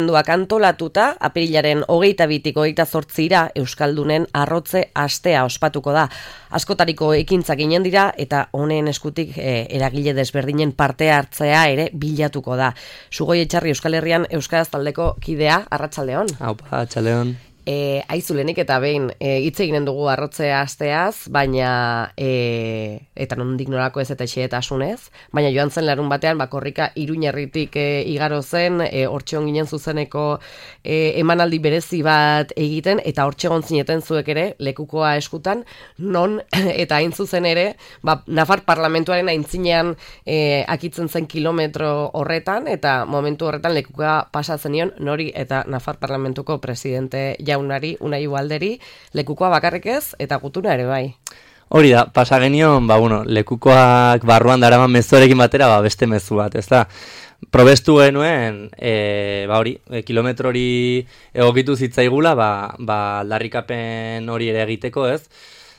Duak antolatuta, apirilaren 22tik 28ira Euskaldunen arrotze astea ospatuko da. Askotariko ekintzak ginen dira eta honen eskutik eragile desberdinen parte hartzea ere bilatuko da. Sugoi Etxarri Euskal Herrian Euskaraz taldeko kidea, arratsaldeon. Aupa, arratsaldeon. Aizulenik eta behin hitz eginen dugu arrotze asteaz, baina eta nondik norako ez eta xehetasunez, baina joan zen larun batean Korrika Iruñerritik igaro zen, hortxe on ginen zuzeneko emanaldi berezi bat egiten, eta hortxe egon zineten zuek ere lekukoa eskutan, non eta hain zuzen ere, Nafar parlamentuaren aintzinean akitzen zen kilometro horretan, eta momentu horretan lekukoa pasatzen nion nori eta Nafar parlamentuko presidente jaunari, Unai Ubalderi, lekukoa bakarrik ez, eta gutuna ere bai. Hori da, pasa genion, lekukoak barruan daraman mezuarekin batera, beste mezu bat, ez da. Probestu genuen, kilometro hori egokitu zitzaigula, aldarrikapen hori ere egiteko, ez?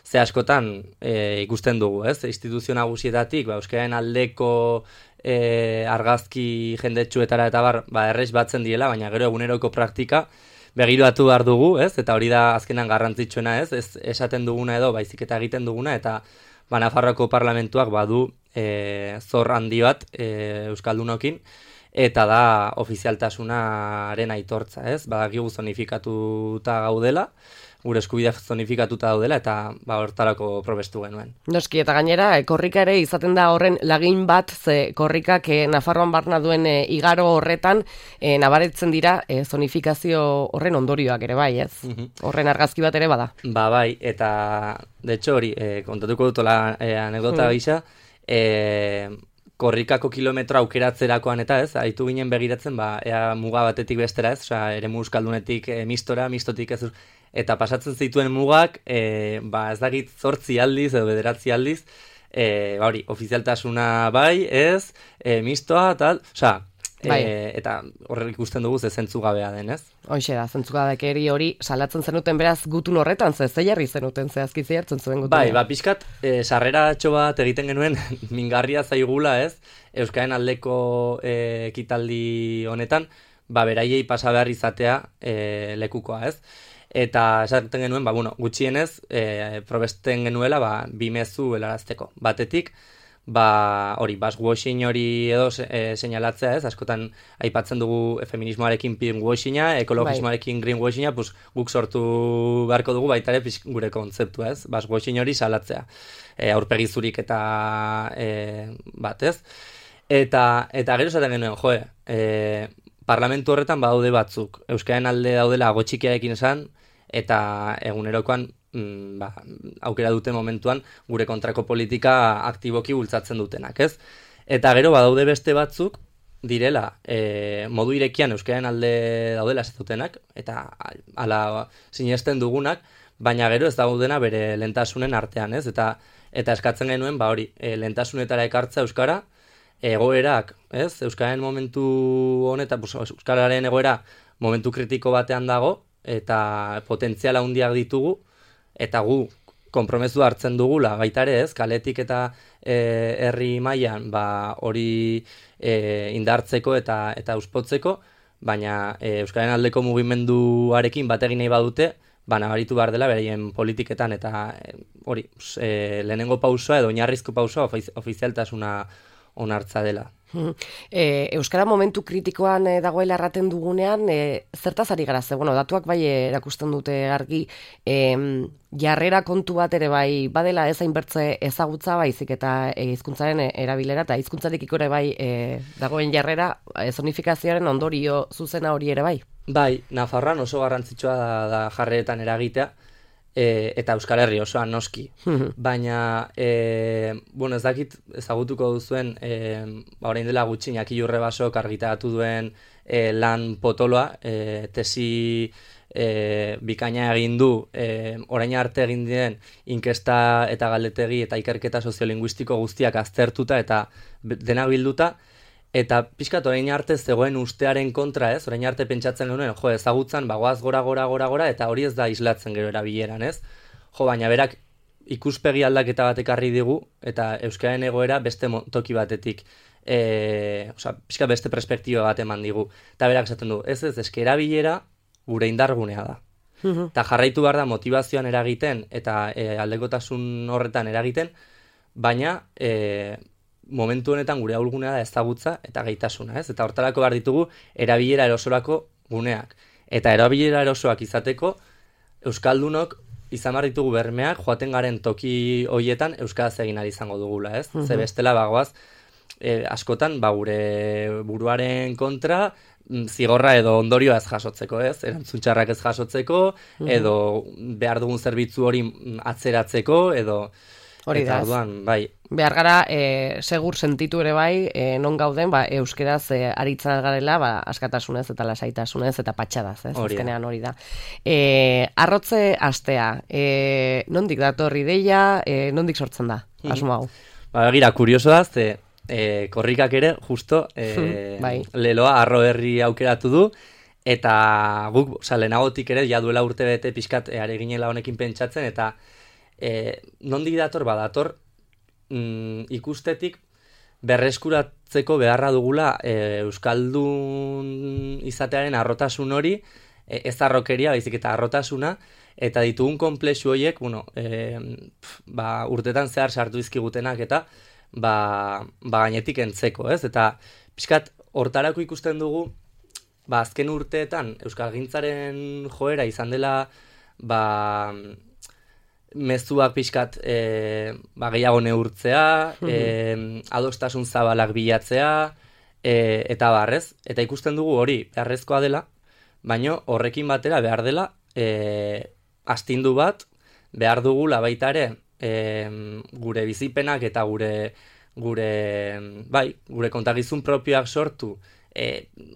Ze askotan ikusten dugu, ez? Instituzio nagusietatik, euskararen aldeko argazki jendetsuetara eta errez batzen diela, baina gero eguneroko praktika, begiratu behar dugu, ez? Eta hori da azkenan garrantzitsuena, ez? Ez esaten duguna edo, baizik eta egiten duguna, eta Nafarroako parlamentuak badu zor handi bat Euskaldunokin, eta da ofizialtasunaren aitortza, ez? Badakigu zonifikatuta gaudela, gure eskubideak zonifikatuta daudela, eta hortarako probestu genuen. Noski, eta gainera, korrika ere izaten da horren lagin bat, ze korrikak Nafarroan barna duen igaro horretan, nabaretzen dira zonifikazio horren ondorioak ere bai, ez? Horren argazki bat ere bada. Bai, eta, de hecho, hori, kontatuko dutola anekdota gisa, korrikako kilometro aukeratzerakoan eta ez, haitu ginen begiratzen, ea muga batetik bestera ez, eremu euskaldunetik mistora, mistotik ez, eta pasatzen zituen mugak, ez dakit 8 aldiz edo 9 aldiz, ofizialtasuna bai, ez, mistoa, tal, eta horrek ikusten dugu ze zentzugabea den, ez? Hoxe da, zentzugabekeri hori salatzen zenuten beraz gutun horretan, ze jarri zenuten, zehazki zertzen zuen gutun. Bai, pixkat, sarreratxo bat egiten genuen mingarria zaigula, ez? Euskaren aldeko ekitaldi honetan, beraiei pasa behar izatea lekukoa, ez? Eta esaten genuen, gutxienez, probesten genuela, 2 mezu helarazteko. Batetik, baswashing hori edo seinalatzea, ez? Askotan aipatzen dugu feminismoarekin pinkwashinga, ekologismoarekin greenwashinga, guk sortu beharko dugu baita ere gure kontzeptua, ez? Baswashing hori salatzea. Aurpegi zurik eta bat, ez? Eta gero esaten genuen, parlamentu horretan badaude batzuk. Euskararen alde daudela gotxikiarekin esan, eta egunerokoan aukera dute momentuan gure kontrako politika aktiboki bultzatzen dutenak, ez? Eta gero badaude beste batzuk direla modu irekian euskararen alde daudela esatenak, eta ala sinesten dugunak, baina gero ez daudena bere lehentasunen artean, ez? Eta eskatzen genuen, lehentasunetara ekartza euskara, egoerak, ez? Euskararen momentu honetan, euskararen egoera momentu kritiko batean dago, eta potentziala handiak ditugu, eta gu konpromezu hartzen dugula, baita ere ez, kaletik eta herri mailan hori indartzeko eta uspotzeko, baina Euskararen aldeko mugimenduarekin bat egin nahi badute, nabaritu behar dela beraien politiketan, eta hori, lehenengo pausoa edo oinarrizko pausoa ofizialtasuna onartza dela. Euskara momentu kritikoan dagoela erraten dugunean, zertaz ari gara ze? Datuak bai erakusten dute argi, jarrera kontu bat ere bai badela ez hainbertze ezagutza baizik eta hizkuntzaren erabilera eta hizkuntzarekiko ere bai dagoen jarrera zonifikazioaren ondorio zuzena hori ere bai. Bai, Nafarroan oso garrantzitsua da jarreretan eragitea, eta Euskal Herri osoan noski. Baina, ez dakit ezagutuko duzuen, orain dela gutxi Iñaki Urrebasok argitaratu duen lan potoloa, tesi bikaina egin du, orain arte egin diren inkesta eta galdetegi eta ikerketa soziolinguistiko guztiak aztertuta eta dena bilduta, eta pixkat orain arte zegoen ustearen kontra, ez? Orain arte pentsatzen genuen, ezagutzan, goaz gora, eta hori ez da islatzen gero erabileran, ez? Baina berak ikuspegi aldaketa bat ekarri digu, eta euskararen egoera beste toki batetik pixka beste perspektiba bat eman digu. Eta berak esaten du, eske erabilera gure indargunea da. Eta jarraitu behar da motivazioan eragiten eta aldekotasun horretan eragiten, baina momentu honetan gure ahulgunea da ezagutza eta gaitasuna, ez? Eta hortarako behar ditugu erabilera erosorako guneak. Eta erabilera erosoak izateko, euskaldunok izan behar ditugu bermeak, joaten garen toki hoietan euskaraz egin ari izango dugula, ez? Ze bestela bagoaz, askotan gure buruaren kontra zigorra edo ondorioa ez jasotzeko, ez? Erantzun txarrak ez jasotzeko, edo behar dugun zerbitzu hori atzeratzeko, edo... Hori da, bai. Behar gara, segur sentitu ere bai, non gauden, euskeraz aritzen garela, askatasunez eta lasaitasunez eta patxadaz, ez? Azkenean hori da. Arrotze astea, nondik dator ideia, nondik sortzen da, asmo hau? Gira, kurioso da, korrikak ere, justo, leloa arro herri aukeratu du, eta guk, lehenagotik ere, ja duela urte bete pixkat, are ginela honekin pentsatzen, eta nondik dator, badator, ikustetik berreskuratzeko beharra dugula euskaldun izatearen arrotasun hori, ez arrokeria, baizik eta arrotasuna, eta ditugun konplexu horiek, urtetan zehar sartu izkigutenak eta gainetik entzeko, ez? Eta pixkat hortarako ikusten dugu, azken urteetan euskalgintzaren joera izan dela, mezuak pixkat gehiago neurtzea, adostasun zabalak bilatzea, eta barrez. Eta ikusten dugu hori beharrezkoa dela, baina horrekin batera behar dela astindu bat, behar dugula baita ere gure bizipenak eta gure kontagizun propioak sortu,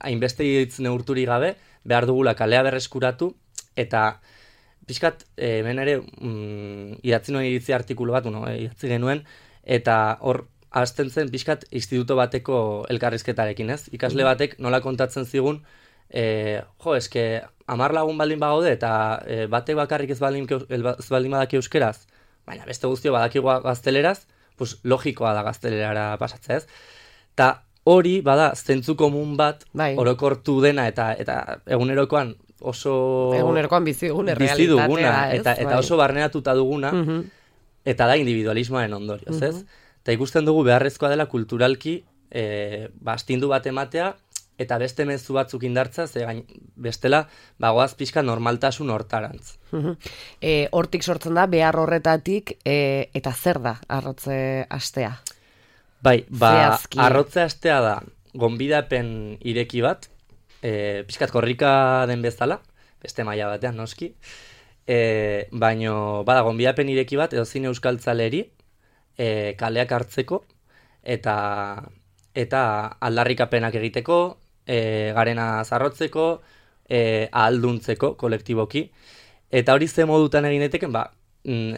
hainbeste hitz neurturik gabe, behar dugula kalea berreskuratu, eta pixkat, hemen ere, idatzi nuen iritzi artikulu bat, idatzi genuen, eta hor, hasten zen pixkat instituto bateko elkarrizketarekin, ez? Ikasle batek nola kontatzen zigun, eske 10 lagun baldin bagaude, eta batek bakarrik ez baldin badaki euskeraz, baina beste guztio badakigu gazteleraz, pues logikoa da gaztelerara pasatzea, ez? Ta hori, zentzu komun bat, orokortu dena, eta egunerokoan, egunerokoan bizi duguna, eta oso barneratuta duguna, eta da individualismoaren ondorioz, ez? Eta ikusten dugu beharrezkoa dela kulturalki astindu bat ematea, eta beste mezu batzuk indartza, bestela bagoaz pixka normaltasun hortarantz. Hortik sortzen da, behar horretatik, eta zer da arrotze astea? Bai, arrotze astea da, gonbidapen ireki bat, pixkat korrika den bezala, beste maila batean noski, baino gonbidapen ireki bat, edozein euskaltzaleri, kaleak hartzeko, eta aldarrikapenak egiteko, garena zarrotzeko, ahalduntzeko kolektiboki, eta hori ze modutan egin daiteken,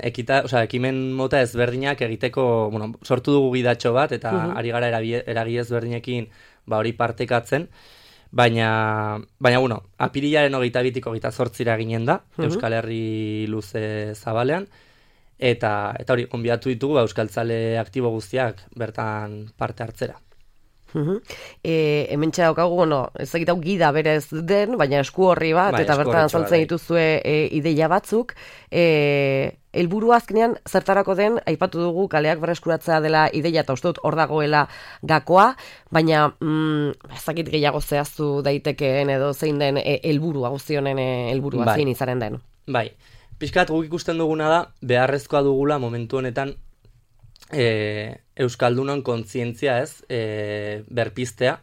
ekimen mota ezberdinak egiteko, sortu dugu gidatxo bat, eta ari gara eragi ezberdinekin hori partekatzen, baina apirilaren 22-tik 28 ginen da, Euskal Herri luze zabalean, eta hori, onbiatu ditugu euskaltzale aktibo guztiak bertan parte hartzera. Hemen txedaukagu, ez egitau gida berez den, baina esku horri bat, eta bertan azaltzen dituzue ideia batzuk, helburu azkenean zertarako den, aipatu dugu kaleak berreskuratzea dela ideia, eta uste dut hor dagoela gakoa, baina ezakit gehiago zehaztu daitekeen edo zein den helburua, guztionen helburua zein izaren den. Bai, pixkat guk ikusten duguna da, beharrezkoa dugula momentu honetan euskaldunon kontzientzia berpiztea,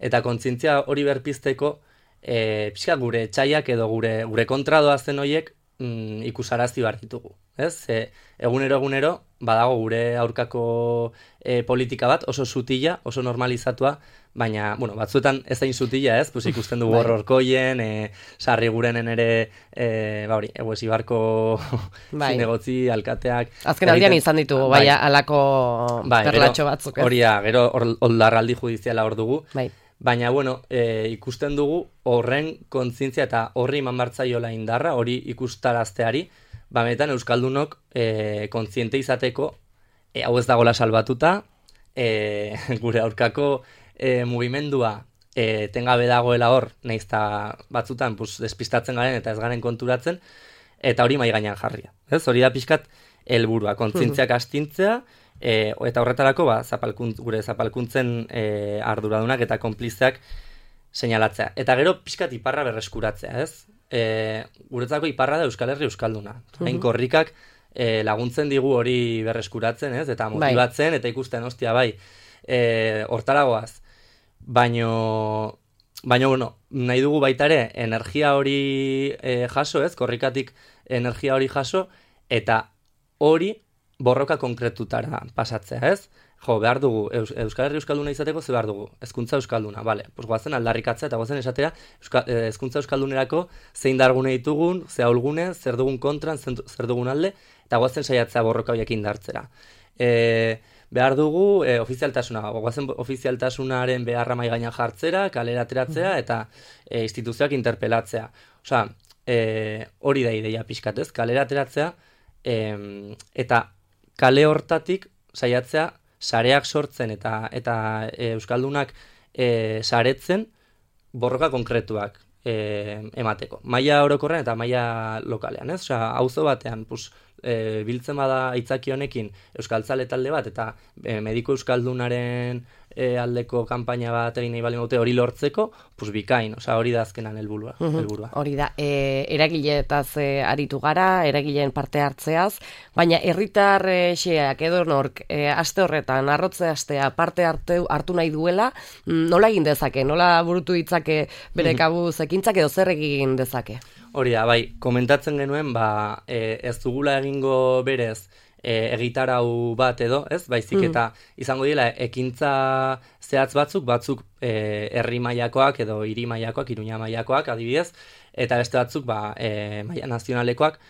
eta kontzientzia hori berpizteko pixkat gure etxaiak edo gure kontradoa zen horiek ikusarazi behar ditugu. Egunero badago gure aurkako politika bat oso sutila, oso normalizatua, baina, batzuetan ez hain sutila, ikusten dugu horrorkoien, sarri gurenen ere, eguesi barko zinegotzi, alkateak. Azken aldian izan ditugu, alako perlatxo batzuk. Hori da, gero oldarraldi judiziala hor dugu. Baina, ikusten dugu horren kontzientzia eta horri eman bartzaiola indarra, hori ikustarazteari, benetan euskaldunok kontziente izateko hau ez dagoela salbatuta, gure aurkako mugimendua tengabe dagoela hor, naizta batzutan despistatzen garen eta ez garen konturatzen, eta hori mai gainean jarria. Ez? Hori da pixkat helburua, kontzientziak astintzea, eta horretarako gure zapalkuntzen arduradunak eta konplizeak seinalatzea. Eta gero pixkat iparra berreskuratzea, ez? Guretzako iparra da Euskal Herri Euskalduna. Hain korrikak laguntzen digu hori berreskuratzen, ez? Eta motibatzen, eta ikusten, ostia, hortaragoaz. Baina, bueno, nahi dugu baita ere, energia hori jaso, ez? Korrikatik energia hori jaso, eta hori borroka konkretutara pasatzea, ez? Behar dugu, Euskal Herri Euskalduna izateko, ze behar dugu? Hezkuntza Euskalduna, bale. Goazen aldarrikatzea eta goazen esatera hezkuntza Euskaldunerako zein dargune ditugun, ze ahulgune, zer dugun kontran, zer dugun alde, eta goazen saiatzea borroka horiek indartzera. Behar dugu ofizialtasuna, goazen ofizialtasunaren beharra mai gainean jartzera, kalera ateratzea eta instituzioak interpelatzea. Osea, hori da ideia pixkatez, kalera ateratzea eta kale hortatik saiatzea sareak sortzen eta Euskaldunak saretzen borroka konkretuak emateko. Maila orokorrean eta maila lokalean, ez? Osea, auzo batean, biltzen bada aitzaki honekin euskaltzale talde bat eta mediku euskaldunaren aldeko kanpaina bat egin nahi bali maute hori lortzeko, bikain, hori da azkenan helburua. Hori da, eragileetaz aritu gara, eragileen parte hartzeaz, baina herritar xeak edo nork aste horretan, arrotze astea parte hartu nahi duela, nola egin dezake, nola burutu ditzake bere kabuz ekintzak edo zer egin dezake? Hori da, komentatzen genuen, ez dugula egingo berez egitarau bat edo, ez? Baizik eta izango dira ekintza zehatz batzuk herri mailakoak edo hiri mailakoak, Iruña mailakoak adibidez, eta beste batzuk maila nazionalekoak,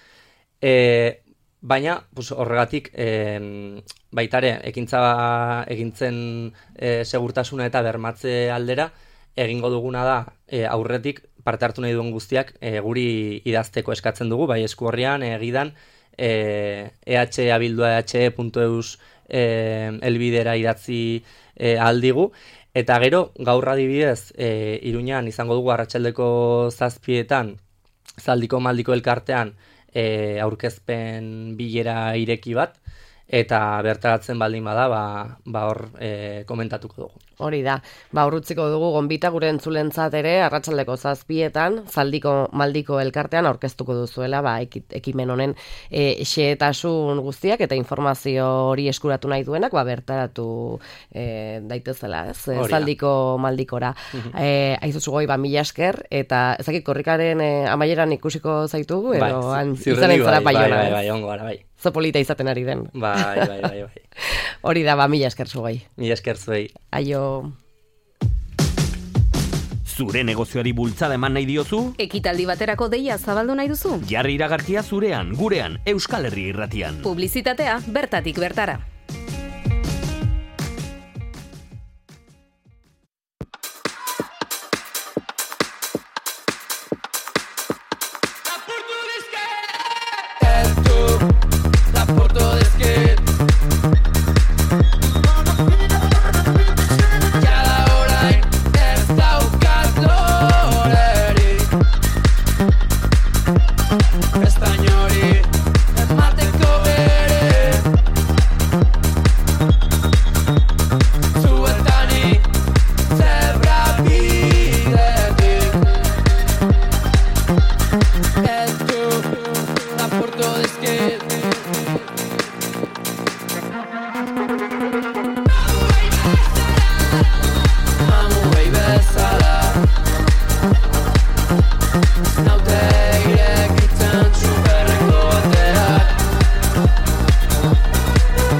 baina horregatik baitare egintzen segurtasuna eta bermatze aldera egingo duguna da aurretik parte hartu nahi duen guztiak guri idazteko eskatzen dugu, bai eskuorrian, egidan, ehh.eus elbidera idatzi aldigu, eta gero gaur adibidez Iruñan izango dugu arratsaldeko 7:00 Zaldiko Maldiko elkartean aurkezpen bilera ireki bat, eta bertaratzen baldin bada, hor komentatuko dugu. Hori da, urrutziko dugu gonbita gure entzulentzat ere, arratsaldeko 7:00 Zaldiko Maldiko elkartean aurkeztuko duzuela, ekimen honen xehetasun guztiak eta informazio hori eskuratu nahi duenak, bertaratu daitezela, ez? Zaldiko Maldikora. Aizuzu goi, mila esker, eta ezakit korrikaren amaieran ikusiko zaitugu, edo izanen zara Baiona. Bai, ongo gara, bai. Zopolita izaten ari den. Bai. Hori da, mila esker zuei. Mila esker zuei. Aio. Zure negozioari bultzada eman nahi diozu? Ekitaldi baterako deia zabaldu nahi duzu? Jarri iragarkia zurean, gurean, Euskal Herri Irratian. Publizitatea bertatik bertara.